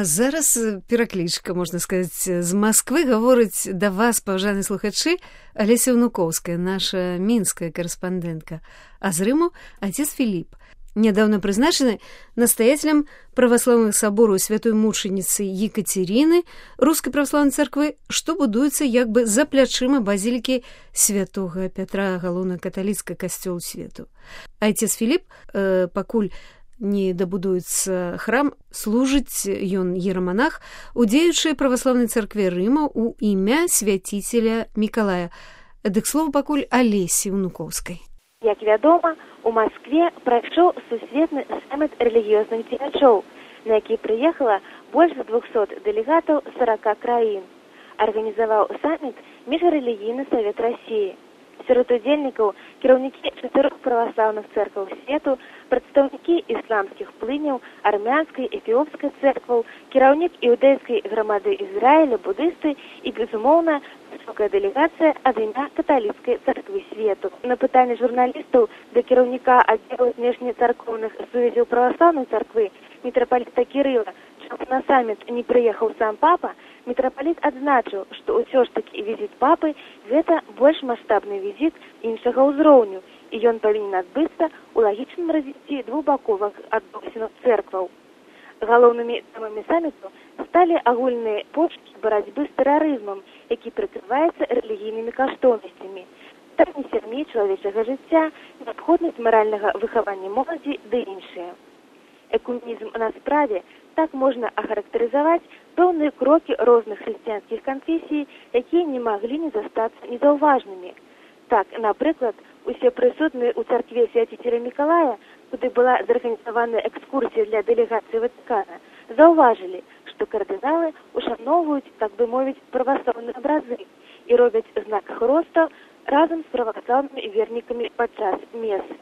А зараз пераклічка, можна сказаць, з Масквы гаворыць да вас, паважаныя слухачы, Алеся Унукоўская, наша мінская карэспандэнтка, а з Рыму отец Філіп, нядаўна прызначаны настаятелем праваслаўных сабораў святой мучаніцы Екатерины Рускай праваслаўнай царквы, што будуецца як бы за плячыма базілікі святога Пятра, галоўна каталіцкага касцёлу свету. Отец Філіп, пакуль не дабудуецца храм, служыць ён іераманах у дзеючай праваслаўнай царкве Рыма у імя свяціцеля Мікалая. Дык слова пакуль Алесі Унукоўскай. Як вядома, у Маскве прайшоў сусветны саміт рэлігіёзных дзеячоў, на які прыехала больш за 200 дэлегатаў 40 краін. Арганізаваў саміт Міжрэлігійны савет Расіі. Сярод удзельнікаў кіраўнікі 4 праваслаўных цэркваў свету, прадстаўнікі ісламскіх плыняў, армянскай, эфіопскай цэркваў, кіраўнік іўдэйскай грамады Ізраіля, будысты і, безумоўна, высокая дэлегацыя ад імя каталіцкай царквы свету. На пытанне журналістаў да кіраўніка аддзелу знешнецаркоўных сувязяў праваслаўнай царквы мітрапаліта Кірыла, чаму на саміт не прыехаў сам папа, мітрапаліт адзначыў, што ўсё ж такі візіт папы – гэта больш маштабны візіт іншага ўзроўню, і ён павінен адбыцца ў лагічным развіцці двухбаковых адносінаў цэркваў. Галоўнымі тэмамі саміту сталі агульныя пошукі барацьбы з тэрарызмам, які прыкрываецца рэлігійнымі каштоўнасцямі, пытанні сям'і, чалавечага жыцця, неабходнасць маральнага выхавання моладзі ды іншыя. Экуменізм на справе так можна ахарактарызаваць пэўныя крокі розных хрысціянскіх канфесій, якія не маглі не застацца незаўважнымі. Так, напрыклад, усе прысутныя ў царкве свяціцеля Мікалая, куды была зарганізаваная экскурсія для дэлегацыі Ватыкана, заўважылі, што кардыналы ушаноўваюць, так бы мовіць, праваслаўныя абразы і робяць знак хроста разам з праваслаўнымі вернікамі падчас месы.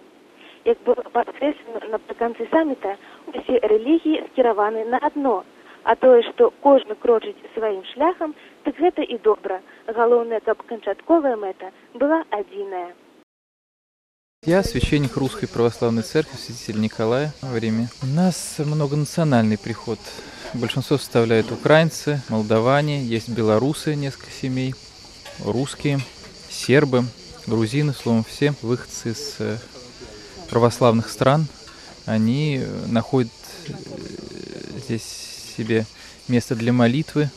Як было падкрэслена напрыканцы саміта, усе рэлігіі скіраваны на адно, а тое, што кожны крочыць сваім шляхам, так гэта і добра. Галоўнае, каб канчатковая мэта была адзіная. Я священник Русской Православной Церкви, святитель Николая в Риме. У нас многонациональный приход. Большинство составляют украинцы, молдаване, есть белорусы, несколько семей, русские, сербы, грузины, словом, все выходцы из православных стран. Они находят здесь себе место для молитвы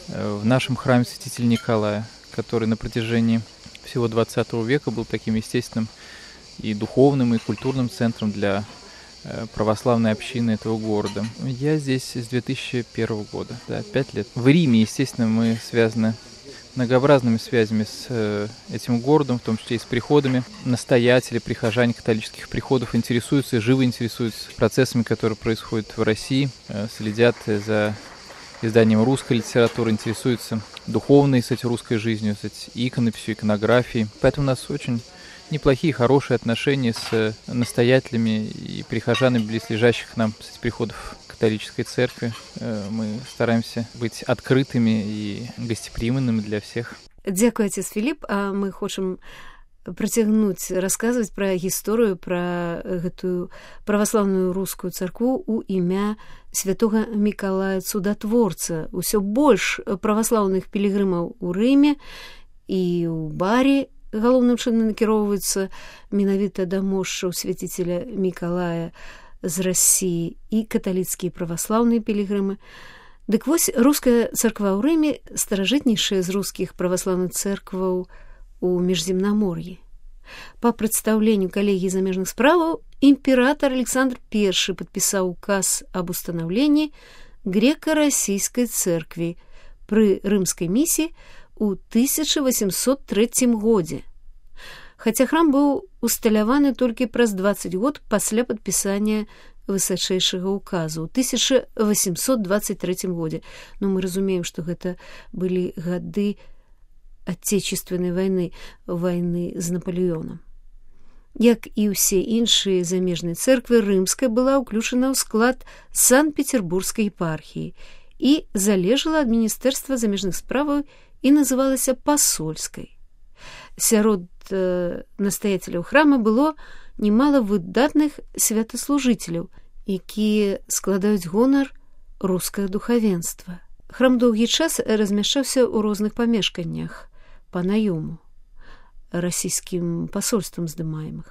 в нашем храме святителя Николая, который на протяжении всего 20 века был таким естественным и духовным, и культурным центром для православной общины этого города. Я здесь с 2001 года, 5 лет. В Риме, естественно, мы связаны многообразными связями с этим городом, в том числе и с приходами. Настоятели, прихожане католических приходов интересуются, живо интересуются процессами, которые происходят в России, следят за изданием русской литературы, интересуются духовной, кстати, русской жизнью, кстати, иконописью, иконографией. Поэтому у нас очень неплохие, хорошие отношения с настоятелями и прихожанами близлежащих нам, кстати, приходов католической церкви. Мы стараемся быть открытыми и гостеприимными для всех. Дзякуй, отец Філіп, а мы хочам працягнуць расказваць пра гісторыю, пра гэтую праваслаўную рускую царкву у імя святога Мікалая Цудатворца. Усё больш праваслаўных пілігрымаў у Рыме і ў баре галоўным чынам накіроўваюцца менавіта да мошчаў свяціцеля Мікалая з Расіі і каталіцкія праваслаўныя пілігрымы. Дык вось руская царква ў Рыме старажытнейшая з рускіх праваслаўных цэркваў у Міжземнамор'і. Па прадстаўленню калегіі замежных справаў імператар Александр I падпісаў указ аб устанаўленні грэка-расійскай цэркві пры рымскай місіі ў 1803 годзе. Хаця храм быў усталяваны толькі праз 20 год пасля падпісання высачэйшага указу ў 1823 годзе. Но мы разумеем, што гэта былі гады Отечественной войны, войны з Наполеоном. Як і ўсе іншыя замежныя цэрквы, рымская была ўключана ў склад Санкт-Петербургскай епархіі і залежала ад Міністэрства замежных справаў і называлася пасольскай. Сярод настаяцеляў храма было немало выдатных святаслужыцеляў, якія складаюць гонар рускае духавенства. Храм доўгі час размяшчаўся ў розных памешканнях па наёму расійскім пасольствам здымаемых.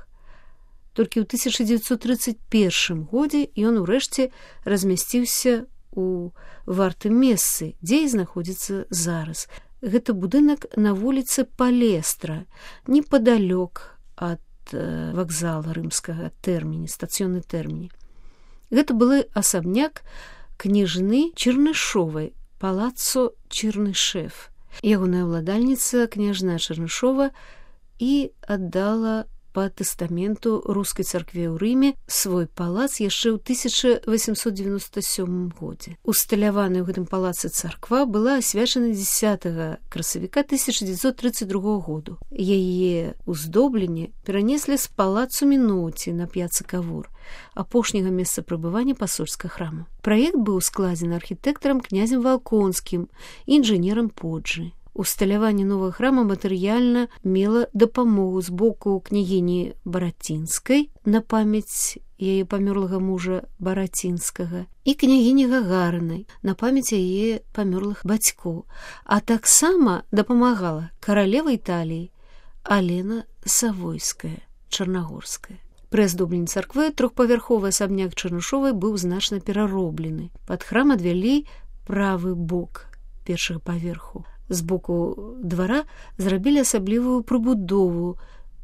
Толькі ў 1931 годзе ён урэшце размясціўся у вартым месцы, дзе і знаходзіцца зараз. Гэта будынак на вуліцы Палестра, непадалёк ад вакзала рымскага тэрміні, стацыённы тэрміні. Гэта былы асабняк княжны Чернышовай, палаццо Чернышев. Ягоная ўладальніца, княжна Чернышова, і аддала па тэстаменту рускай царкве ў Рыме свой палац яшчэ ў 1897 годзе. Усталяваная ў гэтым палацы царква была асвячана 10 красавіка 1932 году. Яе ўздобленне перанеслі з палацу Міноці на п'яцы Кавур, апошняга месца прабывання пасольскага храму. Праект быў складзены архітэктарам князем Валконскім і інжынерам Поджы. Усталяванне новага храма матэрыяльна мела дапамогу з боку княгіні Барацінскай на памяць яе памёрлага мужа Барацінскага і княгіні Гагарынай на памяць яе памёрлых бацькоў, а таксама дапамагала каралева Італіі Алена Савойская, Чарнагорская. Пры аздобленні царквы трохпавярховы асабняк Чернышовай быў значна перароблены. Пад храм адвялі правы бок першага паверху. З боку двара зрабілі асаблівую прыбудову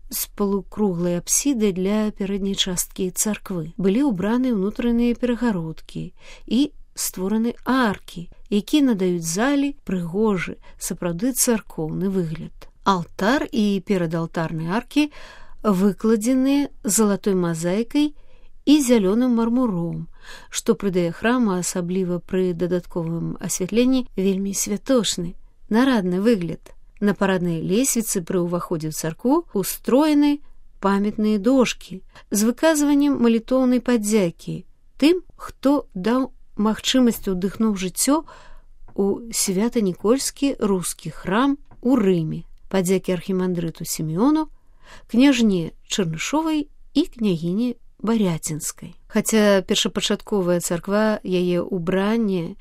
з полукруглай апсідай для пярэдняй часткі царквы. Былі ўбраны ўнутраныя перагародкі і створаны аркі, якія надаюць залі прыгожы, сапраўды царкоўны выгляд. Алтар і перадалтарныя аркі выкладзеныя залатой мазаікай і зялёным мармуром, што прыдае храму, асабліва пры дадатковым асвятленні, вельмі святочны, нарадны выгляд. На параднай лесвіцы пры ўваходзе ў царкву устроены памятныя дошкі з выказваннем малітоўнай падзякі тым, хто даў магчымасць удыхнуў жыццё у свята-нікольскі рускі храм у Рыме. Падзякі архімандрыту Сімеону, княжне Чернышовай і княгіні Баряцінскай. Хаця першапачатковая царква, яе ўбранне,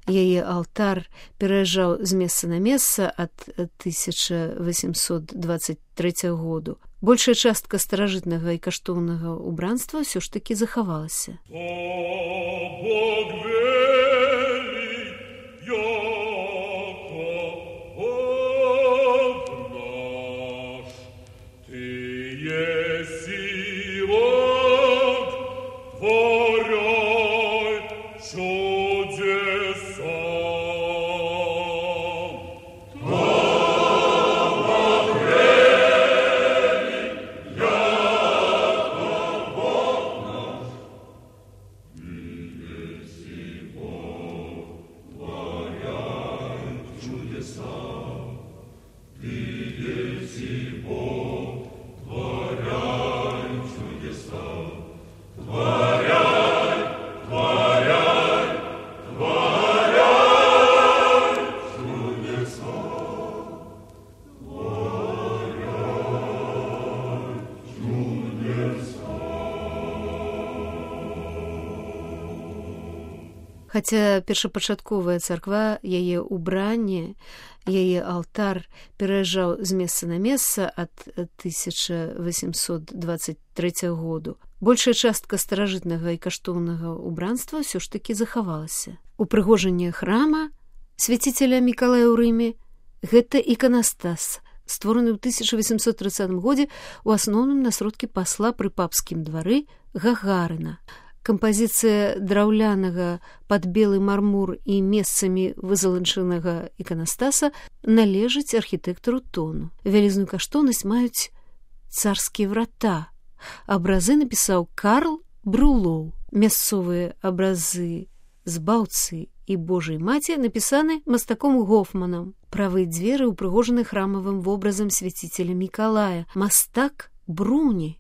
яе алтар пераязджаў з месца на месца ад 1823 году, большая частка старажытнага і каштоўнага ўбранства ўсё ж такі захавалася. Хаця першапачатковая царква, яе ўбранне, яе алтар пераязджаў з месца на месца ад 1823 году, большая частка старажытнага і каштоўнага ўбранства ўсё ж такі захавалася. Упрыгожанне храма свяціцеля Мікалая ў Рыме – гэта іканастас, створаны ў 1830 годзе у асноўным на сродкі пасла пры папскім двары Гагарына. Кампазіцыя драўлянага пад белы мармур і месцамі вызаланчанага іканастаса належыць архітэктару Тону. Вялізную каштоўнасць маюць царскія врата. Абразы напісаў Карл Брулоў. Мясцовыя абразы збаўцы і Божай маці напісаны мастаком Гофманам. Правыя дзверы ўпрыгожаны храмавым вобразам свяціцеля Мікалая, мастак Бруні.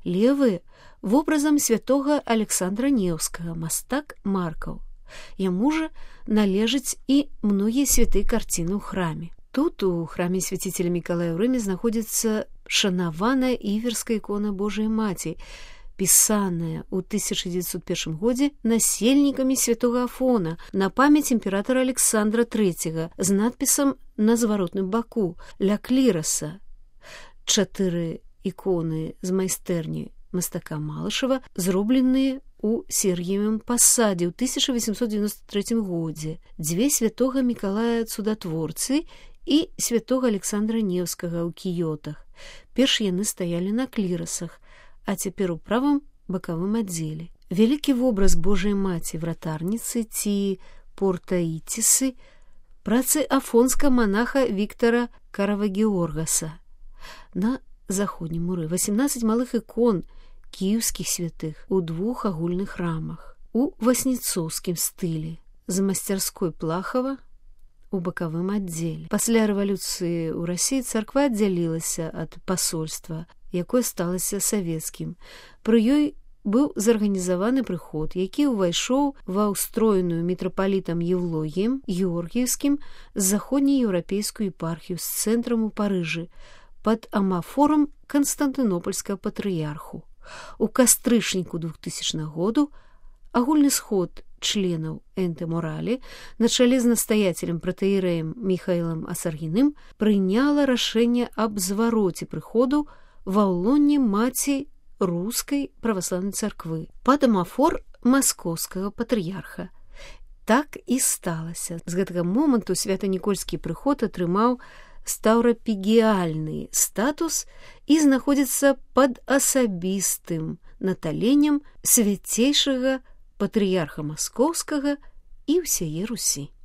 Левыя вобразам святога Александра Неўскага, мастак Маркаў. Яму жа належаць і многія святыя карціны ў храме. Тут, у храме свяціцеля Мікалая ў Рыме, знаходзіцца шанаваная іверская ікона Божай маці, пісаная ў 1901 годзе насельнікамі святога Афона на памяць імператара Александра III з надпісам на зваротным баку «Ля кліраса». 4 іконы з майстэрні мастака Малышева, зробленыя у Сергіевым пасадзе ў 1893 годзе, 2 святога Мікалая Цудатворцы і святога Александра Невскага ў кіётах. Перш яны стаялі на клірасах, а цяпер у правым бакавым аддзеле. Вялікі вобраз Божай Маці вратарніцы ці Портаіцісы, працы афонска манаха Віктара Каравагеоргаса. На заходнім муры 18 малых ікон кіеўскіх святых у 2 агульных рамах, у васніцоўскім стылі, з масцярской Плахава у бакавым аддзеле. Пасля рэвалюцыі ў Расіі царква аддзялілася ад пасольства, якое сталася савецкім. Пры ёй быў зарганізаваны прыход, які ўвайшоў ва ўстроеную мітрапалітам Еўлогіем Георгіевскім з заходнееўрапейскую епархію з цэнтрам у Парыжы пад амафорам Канстантынопольскага патрыярху. У кастрычніку 2000 году агульны сход членаў Энтэ-Моралі на чале з настаяцелем пратэірэем Міхаілам Асаргіным прыняла рашэнне аб звароце прыходу ва ўлонне маці рускай праваслаўнай царквы пад амафор маскоўскага патрыярха. Так і сталася. З гэтага моманту свята-нікольскі прыход атрымаў стаўрапігіяльны статус і знаходзіцца пад асабістым наталеннем свяцейшага патрыярха Маскоўскага і ўсяе Русі.